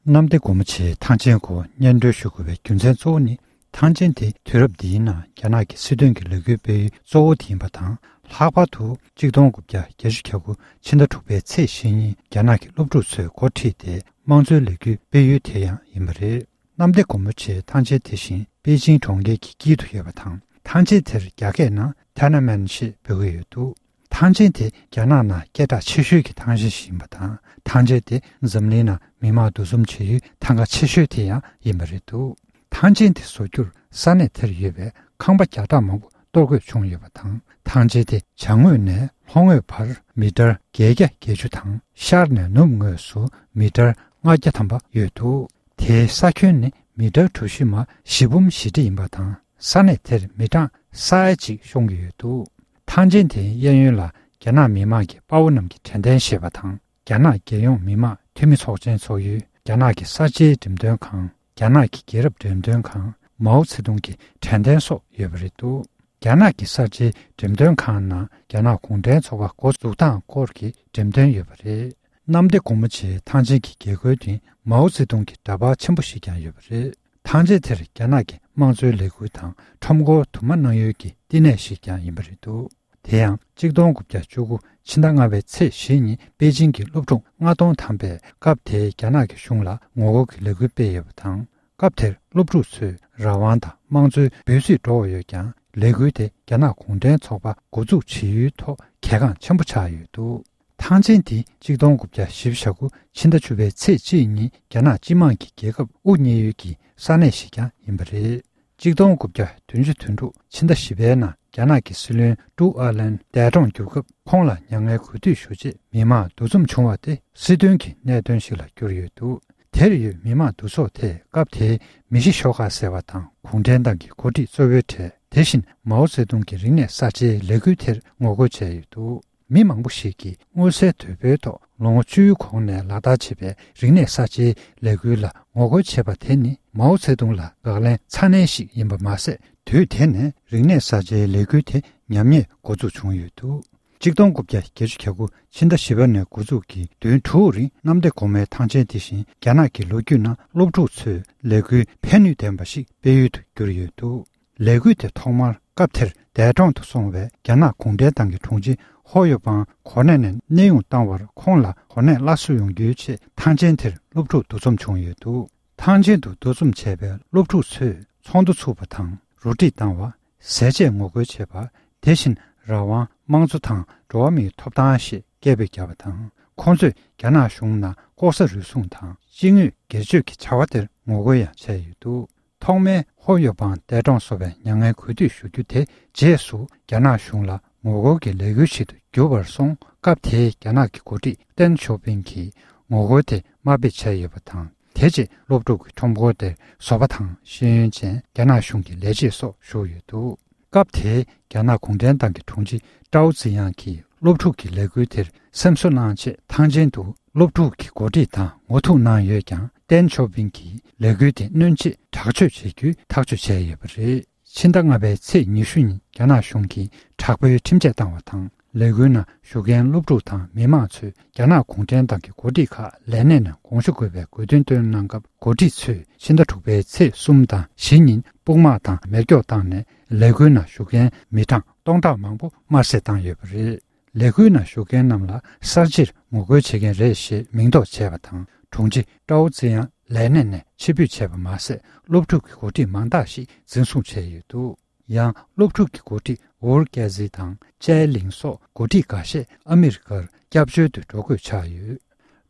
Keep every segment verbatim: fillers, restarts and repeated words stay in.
གནམ་བདེ་སྒོ་མོ་ཆེའི་ཐང་ཆེན་སྐོར་སྙན་སྒྲོན་ཞུ་དགོས་པའི་རྒྱུ་མཚན་གཙོ་བོ་ནི། ཐང་ཆེན་དེ་དུས་རབས་འདིའི་ནང་རྒྱ་ནག་གི་སྲིད་དོན་གྱི་ལས་འགུལ་སྤེལ་ཡུལ་གཙོ་བོ་དེ་ཡིན་པ་དང་། ལྷག་པར་དུ་གཅིག་སྟོང་དགུ་བརྒྱ་བརྒྱད་ཅུ་གྱ་དགུ་ཕྱི་ཟླ་དྲུག་པའི་ཚེས་བཞི་ཉིན་རྒྱ་ནག་གི་སློབ་ཕྲུག་ཚོས་འགོ་ཁྲིད་དེ་དམངས་གཙོའི་ལས་འགུལ་སྤེལ་ཡུལ་དེ་ཡང་ཡིན་པ་རེད། གནམ་བདེ་སྒོ་མོ་ཆེའི་ཐང་ཆེན་དེ་བཞིན་པེ་ཅིང་གྲོང་ཁྱེར་གྱི་དཀྱིལ་དུ་ཡོད་པ་དང་། ཐང་ཆེན་དེར་རྒྱ་སྐད་ནང་ཐེ་ན་མན་ཞེས་འབོད་ཀྱི་ཡོད་འདུག་ཐང་ཆེན་དེ་རྒྱ་ནག་ནང་སྐད་གྲགས་ཆེ་ཤོས་ཀྱི་ཐང་ཆེན་ཞིག་ཡིན་པ་དང་། ཐང་ཆེན་དེ་འཛམ་གླིང་ནང་མི་མང་འདུ་འཛོམས་བྱེད་ཡུལ་ཐང་ག་ཆེ་ཤོས་དེ་ཡང་ཡིན་པ་རེད་འདུག་ཐང་ཆེན་དེ་བཟོ་རྒྱུར་ས་གནས་དེར་ཡོད་པའི་ཁང་པ་བརྒྱ་ཕྲག་མང་པོ་གཏོར་དགོས་བྱུང་ཡོད་པ་དང་། ཐང་ཆེན་དེ་བྱང་ངོས་ནས་ལྷོ་ངོས་བར་མི་ཊར་བརྒྱད་བརྒྱ་བརྒྱད་ཅུ་དང་། ཤར་ནས་ནུབ་ངོས་སུ་མི་ཊར་ལྔ་བརྒྱ་ཐམ་པ་ཡོད་འདུག་དེའི་ས་ཁྱོན་ནི་མི་ཊར་གྲུ་བཞི་མ་བཞི་འབུམ་བཞི་ཁྲི་ཡིན་པ་དང་། ས་གནས་དེར་མི་གྲངས་ས་ཡ་གཅིག་ཤོང་གི་ཡོད་འདུག་ཐང་ཆེན་དེའི་གཡས་གཡོན་ལ་རྒྱ་ནག་མི་དམངས་ཀྱི་དཔའ་བོ་རྣམས་ཀྱི་དྲན་རྟེན་ཞེས་པ་དང་། རྒྱ་ནག་རྒྱལ་ཡོངས་མི་དམངས་འཐུས་མི་ཚོགས་ཆེན་ཚོགས་ཡུལ། རྒྱ་ནག་གི་གསར་བརྗེའི་འགྲེམས་སྟོན་ཁང་། རྒྱ་ནག་གི་རྒྱལ་རབས་འགྲེམས་སྟོན་ཁང་། མའོ་ཙེ་ཏུང་གི་དྲན་རྟེན་སོགས་ཡོད་པ་རེད་འདུག་རྒྱ་ནག་གི་གསར་བརྗེའི་འགྲེམས་སྟོན་ཁང་ནང་རྒྱ་ནག་གུང་ཁྲན་ཚོགས་པ་འགོ་འཛུགས་སྟངས་སྐོར་གྱི་འགྲེམས་སྟོན་ཡོད་པ་རེད། གནམ་བདེ་སྒོ་མོ་ཆེའི་ཐང་ཆེན་གྱི་རྒྱལ་སྒོའི་སྟེང་མའོ་ཙེ་ཏུང་གི་འདྲ་པར་ཆེན་པོ་ཞིག་ཀྱང་ཡོད་པ་རེད། ཐང་ཆེན་དེར་རྒྱ་ནག་གི་དམངས་གཙོའི་ལས་འགུལ་དང་ཁྲོམ་སྐོར་དུ་མ་གནང་ཡུལ་གྱི་བསྟི་གནས་ཤིག་ཀྱང་ཡིན་པ་རེད་འདུག་དེ་ཡང་གཅིག་སྟོང་དགུ་བརྒྱ་བཅུ་དགུ་ཕྱི་ཟླ་ལྔ་པའི་ཚེས་བཞི་ཉིན་པེ་ཅིང་གི་སློབ་ཕྲུག་ལྔ་སྟོང་ཐམ་པས་སྐབས་དེའི་རྒྱ་ནག་གི་གཞུང་ལ་ངོ་རྒོལ་གྱི་ལས་འགུལ་སྤེལ་ཡོད་པ་དང་། སྐབས་དེར་སློབ་ཕྲུག་ཚོས་རང་དབང་དང་དམངས་གཙོའི་འབོད་ཚིག་སྒྲོག་ཡོད་ཀྱང་། ལས་འགུལ་དེ་རྒྱ་ནག་གུང་ཁྲན་ཚོགས་པ་འགོ་འཛུགས་བྱེད་ཡུལ་ཐོག་གལ་འགངས་ཆེན་པོ་ཆགས་ཡོད་འདུག་ཐང་ཆེན་དེ་གཅིག་སྟོང་དགུ་བརྒྱ་བཞི་བཅུ་ཞེ་དགུ་ཕྱི་ཟླ་བཅུ་པའི་ཚེས་གཅིག་ཉིན་རྒྱ་ནག་སྤྱི་དམངས་ཀྱི་རྒྱལ་ཁབ་དབུ་བརྙེས་ཡུལ་གྱི་ས་གནས་ཤིག་ཀྱང་ཡིན་པ་རེད། གཅིག་སྟོང་དགུ་བརྒྱ་བདུན་ཅུ་དོན་དྲུག་ཕྱི་ཟླ་བཞི་པའི་ནང་རྒྱ་ནག་གི་སྲིད་བློན་ཀྲུའུ་ཨར་ལན་འདས་གྲོངས་གྱུར་སྐབས། ཁོང་ལ་མྱ་ངན་གུས་འདུད་ཞུ་ཆེད་མི་མང་འདུ་འཛོམས་བྱུང་བ་དེ་སྲིད་དོན་གྱི་གནད་དོན་ཞིག་ལ་གྱུར་ཡོད་འདུག་དེར་ཡོད་མི་མང་འདུ་ཚོགས་དེས་སྐབས་དེའི་མི་ཤི་ཤོག་ཁག་ཟེར་བ་དང་། གུང་ཁྲན་ཏང་གི་འགོ་ཁྲིད་གཙོ་བོའི་གྲས། དེ་བཞིན་མའོ་ཙེ་ཏུང་གི་རིག་གནས་གསར་བརྗེའི་ལས་འགུལ་དེར་ངོ་རྒོལ་བྱས་ཡོད་འདུག་མི་མང་པོ་ཞིག་གིས་མངོན་གསལ་དོད་པོའི་ཐོག་ལོ་ངོ་བཅུའི་གོང་ནས་ལག་བསྟར་བྱེད་པའི་རིག་གནས་གསར་བརྗེའི་ལས་འགུལ་ལ་ངོ་རྒོལ་བྱེད་པ་དེ་ནི་མའོ་ཙེ་ཏུང་ལ་དགག་ལན་ཚ་ནན་ཞིག་ཡིན་པ་མ་ཟད། དུས་དེ་ནས་རིག་གནས་གསར་བརྗེའི་ལས་འགུལ་དེ་ཉམས་ཉེས་འགོ་འཛུགས་བྱུང་ཡོད་འདུག་གཅིག་སྟོང་དགུ་བརྒྱ་བརྒྱད་ཅུ་གྱ་དགུ་ཕྱི་ཟླ་བཞི་པ་ནས་འགོ་འཛུགས་ཀྱིས་བདུན་དྲུག་རིང་གནམ་བདེ་སྒོ་མོའི་ཐང་ཆེན་དེ་བཞིན་རྒྱ་ནག་གི་ལོ་རྒྱུས་ནང་སློབ་ཕྲུག་ཚོས་ལས་འགུལ་ཕན་ནུས་ལྡན་པ་ཞིག་སྤེལ་ཡུལ་དུ་གྱུར་ཡོད་འདུག་ལས་འགུལ་དེ་ཐོག་མར་སྐབས་དེར་འདས་གྲོངས་སུ་སོང་བའི་རྒྱ་ནག་གུང་ཁྲན་ཏང་གི་དྲུང་ཆེ་ཧོ་ཡོ་པང་གོ་གནས་ནས་གནས་དབྱུང་བཏང་བར། ཁོང་ལ་གོ་གནས་སླར་གསོ་ཡོང་རྒྱུའི་ཆེད་ཐང་ཆེན་དེར་སློབ་ཕྲུག་འདུ་འཛོམས་བྱུང་ཡོད་འདུག་ཐང་ཆེན་དུ་འདུ་འཛོམས་བྱས་པའི་སློབ་ཕྲུག་ཚོས་ཚོགས་འདུ་ཚུགས་པ་དང་རུ་སྒྲིག་བཏང་བ། ཟས་བཅད་ངོ་རྒོལ་བྱེད་པ། དེ་བཞིན་རང་དབང་དམངས་གཙོ་དང་འགྲོ་བ་མིའི་ཐོབ་ཐང་ཞེས་སྐད་འབོད་བརྒྱབ་པ་དང་། ཁོང་ཚོས་རྒྱ་ནག་གཞུང་ནང་ལྐོག་ཟ་རུལ་སུངས་དང་སྤྱི་དངོས་སྒེར་གཅོད་ཀྱི་བྱ་བ་དེར་ངོ་རྒོལ་ཡང་བྱས་ཡོད་འདུག་ཐོག་མའི་ཧོ་ཡོ་པང་འདས་གྲོངས་སོང་བའི་མྱ་ངན་གུས་འདུད་ཞུ་རྒྱུ་དེ་རྗེས་སུ་རྒྱ་ནག་གཞུང་ལ་ངོ་རྒོལ་གྱི་ལས་འགུལ་ཞིག་ཏུ་གྱུར་པར་སོང་། སྐབས་དེའི་རྒྱ་ནག་གི་འགོ་ཁྲིད་ཏེན་ཞའོ་ཕིང་གིས་ངོ་རྒོལ་དེ་དམའ་འབེབས་བྱས་ཡོད་པ་དང་། དེ་རྗེས་སློབ་ཕྲུག་གི་ཁྲོམ་སྐོར་དེར་བཟོ་པ་དང་ཤེས་ཡོན་ཅན་རྒྱ་ནག་གཞུང་གི་ལས་བྱེད་སོགས་ཞུགས་ཡོད་འདུག་སྐབས་དེའི་རྒྱ་ནག་གུང་ཁྲན་ཏང་གི་དྲུང་ཆེ་ཀྲའོ་ཙི་དབྱང་གིས་སློབ་ཕྲུག་གི་ལས་འགུལ་དེར་སེམས་གསོ་གནང་ཆེད་ཐང་ཆེན་དུ་སློབ་ཕྲུག་གི་འགོ་ཁྲིད་དང་ངོ་ཐུག་གནང་ཡོད་ཀྱང་། ཏེན་ཞའོ་ཕིང་གིས་ལས་འགུལ་དེ་གནོན་ཆེད་དྲག་སྤྱོད་བྱེད་རྒྱུའི་ཐག་གཅོད་བྱས་ཡོད་པ་རེད། ཕྱི་ཟླ་ལྔ་པའི་ཚེས་ཉི་ཤུ་ཉིན་རྒྱ་ནག་གཞུང་གིས་དྲག་པོའི་ཁྲིམས་ཆད་བཏང་བ་དང་། ལས་འགུལ་ནང་ཞུགས་མཁན་སློབ་ཕྲུག་དང་མི་མང་ཚོས་རྒྱ་ནག་གུང་ཁྲན་ཏང་གི་འགོ་ཁྲིད་ཁག་ལས་གནས་ནས་དགོངས་ཞུ་དགོས་པའི་དགོས་འདུན་བཏོན་གནང་སྐབས། འགོ་ཁྲིད་ཚོས་ཕྱི་ཟླ་དྲུག་པའི་ཚེས་གསུམ་དང་བཞི་ཉིན་དཔུང་དམག་དང་མེ་སྒྱོགས་བཏང་ནས་ལས་འགུལ་ནང་ཞུགས་མཁན་མི་གྲངས་སྟོང་ཕྲག་མང་པོ་དམར་གསོད་བཏང་ཡོད་པ་རེད། ལས་འགུལ་ནང་ཞུགས་མཁན་རྣམས་ལ་གསར་བརྗེར་ངོ་རྒོལ་བྱེད་མཁན་རེད་ཞེས་མིང་འདོགས་བྱས་པ་དང་། དྲུང་ཆེ་ཀྲའོ་ཙི་དབྱང་ལས་གནས་ནས་ཕྱིར་འབུད་བྱས་པ་མ་ཟད། སློབ་ཕྲུག་གི་འགོ་ཁྲིད་མང་དག་ཞིག་འཛིན་བཟུང་བྱས་ཡོད་འདུག་ཡང་སློབ་ཕྲུག་གི་འགོ་ཁྲིད་ཝུར་ཀེ་ཟི་དང་ཅའེ་ལིང་སོགས་འགོ་ཁྲིད་འགའ་ཤས་ཨ་མི་རི་ཀར་སྐྱབས་བཅོལ་དུ་འགྲོ་དགོས་ཆགས་ཡོད།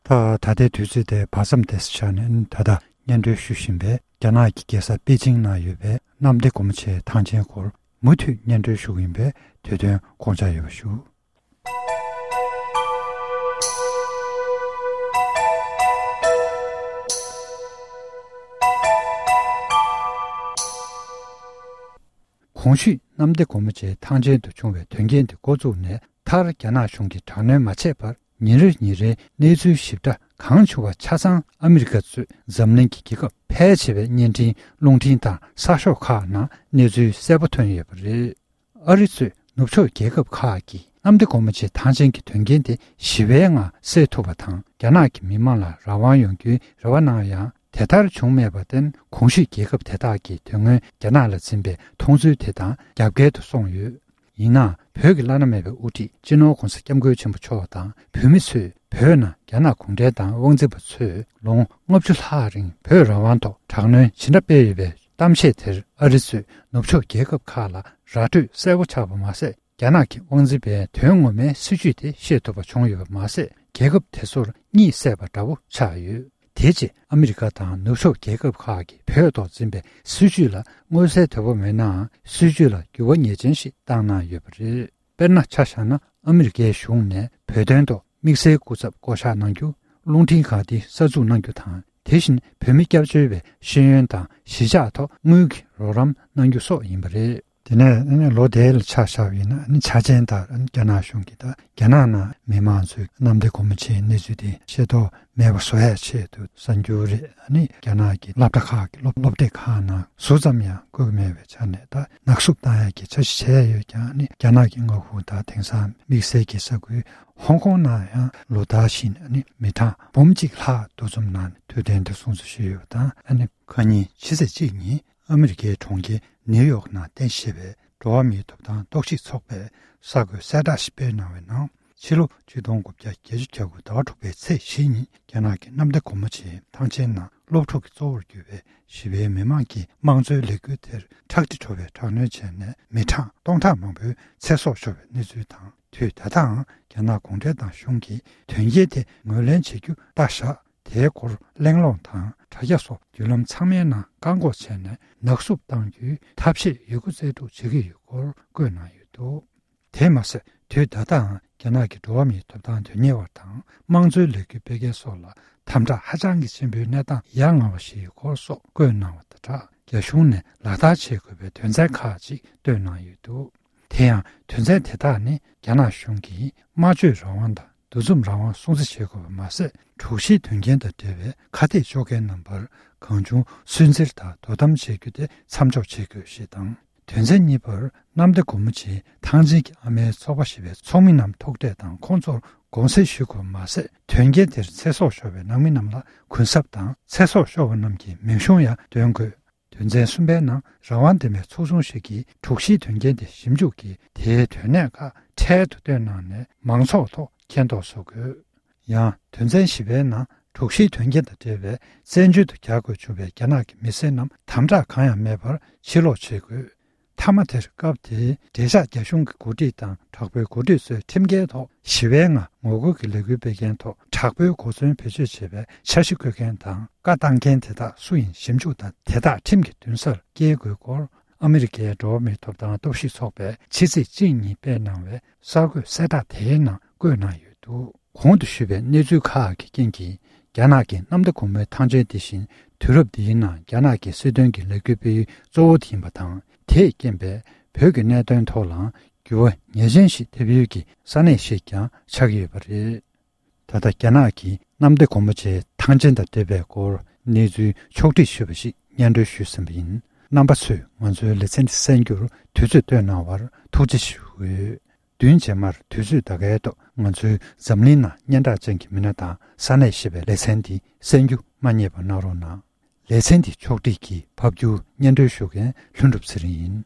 ད་ད་ལྟའི་དུས་ཚོད་དེ་བར་མཚམས་དེ་ཆགས་ནས། ད་ལྟ་སྙན་སྒྲོན་ཞུ་བཞིན་པའི་རྒྱ་ནག་གི་རྒྱལ་ས་པེ་ཅིང་ནང་ཡོད་པའི་གནམ་བདེ་སྒོ་མོ་ཆེའི་ཐང་ཆེན་སྐོར་མུ་མཐུད་སྙན་སྒྲོན་ཞུ་གི་ཡིན་པས། དུས་སྟོན་དགོངས་འཇགས་ཡོད་པ་ཞུ། གོང་ཞུས་གནམ་བདེ་སྒོ་མོ་ཆེའི་ཐང་ཆེན་དུ་བྱུང་བའི་དོན་རྐྱེན་དེ་འགོ་བཙུགས་ནས་མཐར་རྒྱ་ནག་གཞུང་གིས་དྲག་གནོན་མ་བྱས་བར། ཉིན་རེ་ཉིན་རེའི་གནས་ཚུལ་ཞིབ་ཕྲ་གང་བྱུང་བ་ཆ་ཚང་ཨ་མི་རི་ཀ་གཙོས་འཛམ་གླིང་གི་རྒྱལ་ཁབ་ཕལ་ཆེ་བའི་བརྙན་འཕྲིན་རླུང་འཕྲིན་དང་གསར་ཤོག་ཁག་ནང་གནས་ཚུལ་གསལ་པོ་ཐོན་ཡོད་པ་རེད། ཨ་རི་གཙོས་ ནུབ་ཕྱོགས་རྒྱལ་ཁབ་ཁག་གིས་གནམ་བདེ་སྒོ་མོ་ཆེའི་ཐང་ཆེན་གྱི་དོན་རྐྱེན་དེ་ཞི་བའི་ངང་སེལ་ཐུབ་པ་དང་། རྒྱ་ནག་གི་མི་མང་ལ་རང་དབང་ཡོང་རྒྱུའི་རེ་བ་གནང་ཡང་། དེ་ལྟར་བྱུང་མེད་པར་བརྟེན། གོང་ཞུས་རྒྱལ་ཁབ་དེ་དག་གིས་དོན་སྔོན་རྒྱ་ནག་ལ་འཛིན་པའི་མཐོང་ཚུལ་དེ་དང་རྒྱབ་འགལ་དུ་སོང་ཡོད། ཡིན་ནའང་། བོད་ཀྱི་བླ་ན་མེད་པའི་དབུ་ཁྲིད་སྤྱི་ནོར་༧གོང་ས་༧སྐྱབས་མགོན་ཆེན་པོ་མཆོག་དང་བོད་མི་ཚོས་བོད་ནང་རྒྱ་ནག་གུང་ཁྲན་ཏང་དབང་འཛིན་པ་ཚོས་ལོ་ངོ་ལྔ་བཅུ་ལྷག་རིང་བོད་རང་དབང་ཐོག་དྲག་གནོན་ཇི་འདྲ་སྤེལ་ཡོད་པའི་གཏམ་བཤད་དེར། ཨ་རི་གཙོས་ནུབ་ཕྱོགས་རྒྱལ་ཁབ་ཁག་ལ་ར་སྤྲོད་གསལ་པོ་ཆགས་པ་མ་ཟད། རྒྱ་ནག་གི་དབང་འཛིན་པའི་དོན་ངོ་མའི་སྲིད་བྱུས་དེ་ཤེས་ཐུབ་པ་བྱུང་ཡོད་པ་མ་ཟད། རྒྱལ་ཁབ་དེ་ཚོར་གཉིད་སད་པ་འདྲ་བོ་ཆགས་ཡོད། དེ་རྗེས་ཨ་མི་རི་ཀ་དང་ནུབ་ཕྱོགས་རྒྱལ་ཁབ་ཁག་གིས་བོད་ཐོག་འཛིན་པའི་སྲིད་བྱུས་ལ་མངོན་གསལ་དོད་པོ་མེད་ནའང་། སྲིད་བྱུས་ལ་འགྱུར་བ་ངེས་ཅན་ཞིག་བཏང་གནང་ཡོད་པ་རེད། དཔེར་ན། ཆ་བཞག་ན། ཨ་མི་རི་ཀའི་གཞུང་ནས་བོད་དོན་ཐོག་དམིགས་བསལ་སྐུ་ཚབ་བསྐོ་གཞག་གནང་རྒྱུ། རླུང་འཕྲིན་ཁང་འདི་གསར་འཛུགས་གནང་རྒྱུ་དང་། དེ་བཞིན་བོད་མི་སྐྱབས་བཅོལ་བའི་ཤེས་ཡོན་དང་གཞིས་ཆགས་ཐོག་དངུལ་གྱི་རོགས་རམ་གནང་རྒྱུ་སོགས་ཡིན་པ་རེད། དེ་ནས་ཨ་ནི་ལོ་དེ་ལ་ཆ་བཞག་པ་ཡིན་ན། ཨ་ནི་ཆ་རྐྱེན་ལྟར་ཨ་ནི་རྒྱ་ནག་གཞུང་གིས་ད་རྒྱ་ནག་ནང་མི་མང་ཚོས་གནམ་བདེ་སྒོ་མོ་ཆེའི་གནས་ཚུལ་དེ་ཤེས་རྟོགས་མེད་པ་བཟོ་ཡའི་ཆེད་དུ་གསར་འགྱུར་རེད། ཨ་ནི་རྒྱ་ནག་གི་སློབ་གྲྭ་ཁག་གི་སློབ་སློབ་སྡེ་ཁག་ནང་ཟུར་ཙམ་ཡང་བཀོད་ཀྱི་མེད་པའི་ཆ་ནས། ད་ནག་བསུབ་བཏང་ཡ་གི་འཆར་གཞི་བྱས་ཡོད་ཀྱང་། ཨ་ནི་རྒྱ་ནག་གི་མངའ་ཁོངས་དང་དེང་སང་དམིགས་བསལ་གྱི་ས་ཁུལ་ཧོང་ཀོང་ནང་ཡང་ལོ་ལྟར་བཞིན་ཨ་ནི་མི་གྲངས་འབུམ་གཅིག་ལྷག་འདུ་འཛོམས་གནང་ནས་དུས་སྟོན་དེ་སྲུང་བརྩི་ཞུས་ཡོད་པ་དང་། ཨ་ནི་ཁ་ཉིན་ཕྱི་ཚེས་གཅིག་ཉིན་ཨ་མི་རི་ཀའི་གྲོང་ཁྱེར་ནིའུ་ཡོག་ནང་རྟེན་གཞི་བྱས་པའི་འགྲོ་བ་མིའི་ཐོབ་ཐང་རྟོག་ཞིབ་ཚོགས་པས་གསར་འགོད་གསལ་བསྒྲགས་ཤིག་སྤེལ་གནང་བའི་ནང་། ཕྱི་ལོ་ཆིག་སྟོང་དགུ་བརྒྱ་བརྒྱད་ཅུ་གྱ་དགུ་ཟླ་བ་དྲུག་པའི་ཚེས་བཞི་ཉིན་རྒྱ་ནག་གི་གནམ་བདེ་སྒོ་མོ་ཆེའི་ཐང་ཆེན་ནང་སློབ་ཕྲུག་གི་གཙོ་བོར་གྱུར་པའི་ཞི་བའི་མི་མང་གི་དམངས་གཙོའི་ལས་འགུལ་དེར་ཁྲག་དྲི་བྲོ་བའི་དྲག་གནོན་བྱས་ནས་མི་གྲངས་སྟོང་ཕྲག་མང་པོའི་ཚེ་སྲོག་ཤོར་བའི་གནས་ཚུལ་དང་། དུས་ད་ལྟའང་རྒྱ་ནག་གུང་ཁྲན་ཏང་གཞུང་གིས་དོན་རྐྱེན་དེ་ངོས་ལེན་བྱེད་རྒྱུ་ལྟ་བཞག་དེའི་སྐོར་གླེང་སློང་དང་དྲ་རྒྱ་སོགས་བརྒྱུད་ལམ་ཚང་མའི་ནང་བཀག་འགོག་བྱས་ནས་ནག་བསུབ་གཏང་རྒྱུའི་ཐབས་ཤེས་ཡོད་རྒུ་རྩལ་སྤྲུགས་བྱེད་ཀྱི་ཡོད་སྐོར་བཀོད་གནང་ཡོད་འདུག་དེས་མ་ཟད། དུས་ད་ལྟའང་རྒྱ་ནག་གི་འགྲོ་བ་མིའི་ཐོབ་ཐང་དོན་གཉེར་བ་དང་དམངས་གཙོའི་ལས་འགུལ་སྤེལ་མཁན་སོགས་ལ་དམ་དྲག་ཧ་ཅང་གི་ཆེན་པོའི་གནས་སྟངས་ཡ་ང་བ་ཞིག་ཡོད་སྐོར་སོགས་བཀོད་གནང་བ་དང་སྦྲགས། རྒྱ་གཞུང་ནས་ལག་བསྟར་བྱེད་དགོས་པའི་དོན་ཚན་ཁག་ཅིག་བཏོན་གནང་ཡོད་འདུག་དེ་ཡང་དོན་ཚན་དེ་དག་ནི་རྒྱ་ནག་གཞུང་གིས་སྨྲ་བརྗོད་རང་དབང་དང་འདུ་འཛོམས་རང་དབང་སྲུང་བརྩི་བྱེད་དགོས་པ་མ་ཟད། དྲུག་བཞིའི་དོན་རྐྱེན་དང་འབྲེལ་བའི་ཁ་གཏད་གཅོག་མཁན་རྣམ་པར་གང་བྱུང་སུན་གཙེར་དང་དོ་དམ་བྱེད་རྒྱུ་དེ་མཚམས་འཇོག་བྱེད་དགོས་ཞེས་དང་། དོན་ཚན་གཉིས་པར་གནམ་བདེ་སྒོ་མོ་ཆེའི་ཐང་ཆེན་གྱི་ཨ་མའི་ཚོགས་པ་ཞེས་པའི་ཚོགས་མི་རྣམས་ཐུག་འཕྲད་དང་ཁོང་ཚོར་དགོངས་སེལ་ཞུ་དགོས་པ་མ་ཟད། དོན་རྐྱེན་དེར་ཚེ་སྲོག་ཤོར་བའི་ནང་མི་རྣམས་ལ་གུན་གསབ་དང་། ཚེ་སྲོག་ཤོར་བ་རྣམས་ཀྱི་མིང་གཞུང་ཡང་འདོན་དགོས། དོན་ཚན་གསུམ་པའི་ནང་། རང་དབང་ལྡན་པའི་ཚོགས་ཆུང་ཞིག་གིས་དྲུག་བཞིའི་དོན་རྐྱེན་དེ་ཞིབ་འཇུག་གིས་དེའི་དོན་གནད་ཁག་འཕྲལ་དུ་བཏོན་གནང་ནས་མང་ཚོགས་ཐོག་མཁྱེན་རྟོགས་བཟོ་དགོས། ཡང་དོན་ཚན་བཞི་པའི་ནང་། དྲུག་བཞིའི་དོན་རྐྱེན་དང་འབྲེལ་བའི་བཙན་བྱོལ་དུ་གྱར་དགོས་བྱུང་བའི་རྒྱ་ནག་གི་མི་སེར་རྣམས་དམ་དྲག་གང་ཡང་མེད་པར་ཕྱིར་ལོག་བྱེད་དགོས། མཐའ་མ་དེར་སྐབས་དེའི་འབྲེལ་བཞག་རྒྱ་གཞུང་གི་འགོ་ཁྲིད་དང་དྲག་པོའི་འགོ་ཁྲིད་ཚོའི་ཁྲིམས་འགལ་ཐོག་ཞི་བའི་ངང་ངོ་རྒོལ་གྱི་ལས་འགུལ་སྤེལ་མཁན་ཐོག་དྲག་པོའི་གོ་མཚོན་བེད་སྤྱོད་བྱེད་པའི་འཆར་གཞི་བཀོད་མཁན་དང་བཀའ་བཏང་མཁན་དེ་དག་སུ་ཡིན་ཞིབ་འཇུག་དང་། དེ་དག་ཁྲིམས་ཀྱི་མདུན་སར་བསྐྱལ་དགོས་སྐོར། ཨ་མི་རི་ཀའི་འགྲོ་བ་མིའི་ཐོབ་ཐང་རྟོག་ཞིབ་ཚོགས་པས་ཕྱི་ཚེས་གཅིག་ཉིན་སྤེལ་གནང་བའི་གསར་འགོད་གསལ་བསྒྲགས་དེའི་ནང་བཀོད་གནང་ཡོད་འདུག་གོང་དུ་ཞུས་པའི་གནས་ཚུལ་ཁག་གི་རྐྱེན་གྱིས། རྒྱ་ནག་གི་གནམ་བདེ་སྒོ་མོའི་ཐང་ཆེན་དེ་བཞིན་དུས་རབས་འདིའི་ནང་རྒྱ་ནག་གི་སྲིད་དོན་གྱི་ལས་འགུལ་སྤེལ་ཡུལ་གཙོ་བོ་དེ་ཡིན་པ་དང་། དེས་རྐྱེན་པས་བོད་ཀྱི་གནད་དོན་ཐོག་ལའང་འགྱུར་བ་ངེས་ཅན་ཞིག་ཐེབས་ཡུལ་གྱི་ས་གནས་ཤིག་ཀྱང་ཆགས་ཀྱི་ཡོད་པ་རེད། ད་ལྟ་རྒྱ་ནག་གིས་གནམ་བདེ་སྒོ་མོ་ཆེའི་ཐང་ཆེན་དང་འབྲེལ་བའི་སྐོར་གནས་ཚུལ་ཕྱོགས་བསྒྲིགས་ཞུས་པ་ཞིག་སྙན་སྒྲོན་ཞུས་ཟིན་པ་ཡིན། རྣམ་པ་ཚོས་ང་ཚོའི་ལེ་ཚན་འདི་གསན་རྒྱུར་དུས་ཚོད་བཏོན་གནང་བར་ཐུགས་རྗེ་ཞུ་འོས། བདུན་རྗེས་མར་དུས་ཚོད་ད་གའི་ཐོག་ང་ཚོའི་འཛམ་གླིང་ནང་སྙན་གྲགས་ཅན་གྱི་མི་སྣ་དང་ས་གནས་ཞེས་པའི་ལེ་ཚན་འདི་གསན་རྒྱུ་མ་བསྙེལ་བ་གནང་རོགས་གནང་། ལེ་ཚན་འདི་ཕྱོགས་བསྒྲིགས་ཀྱིས་ཕབ་སྒྱུར་སྙན་སྒྲོན་ཞུ་མཁན་ལྷུན་གྲུབ་ཚེ་རིང་ཡིན།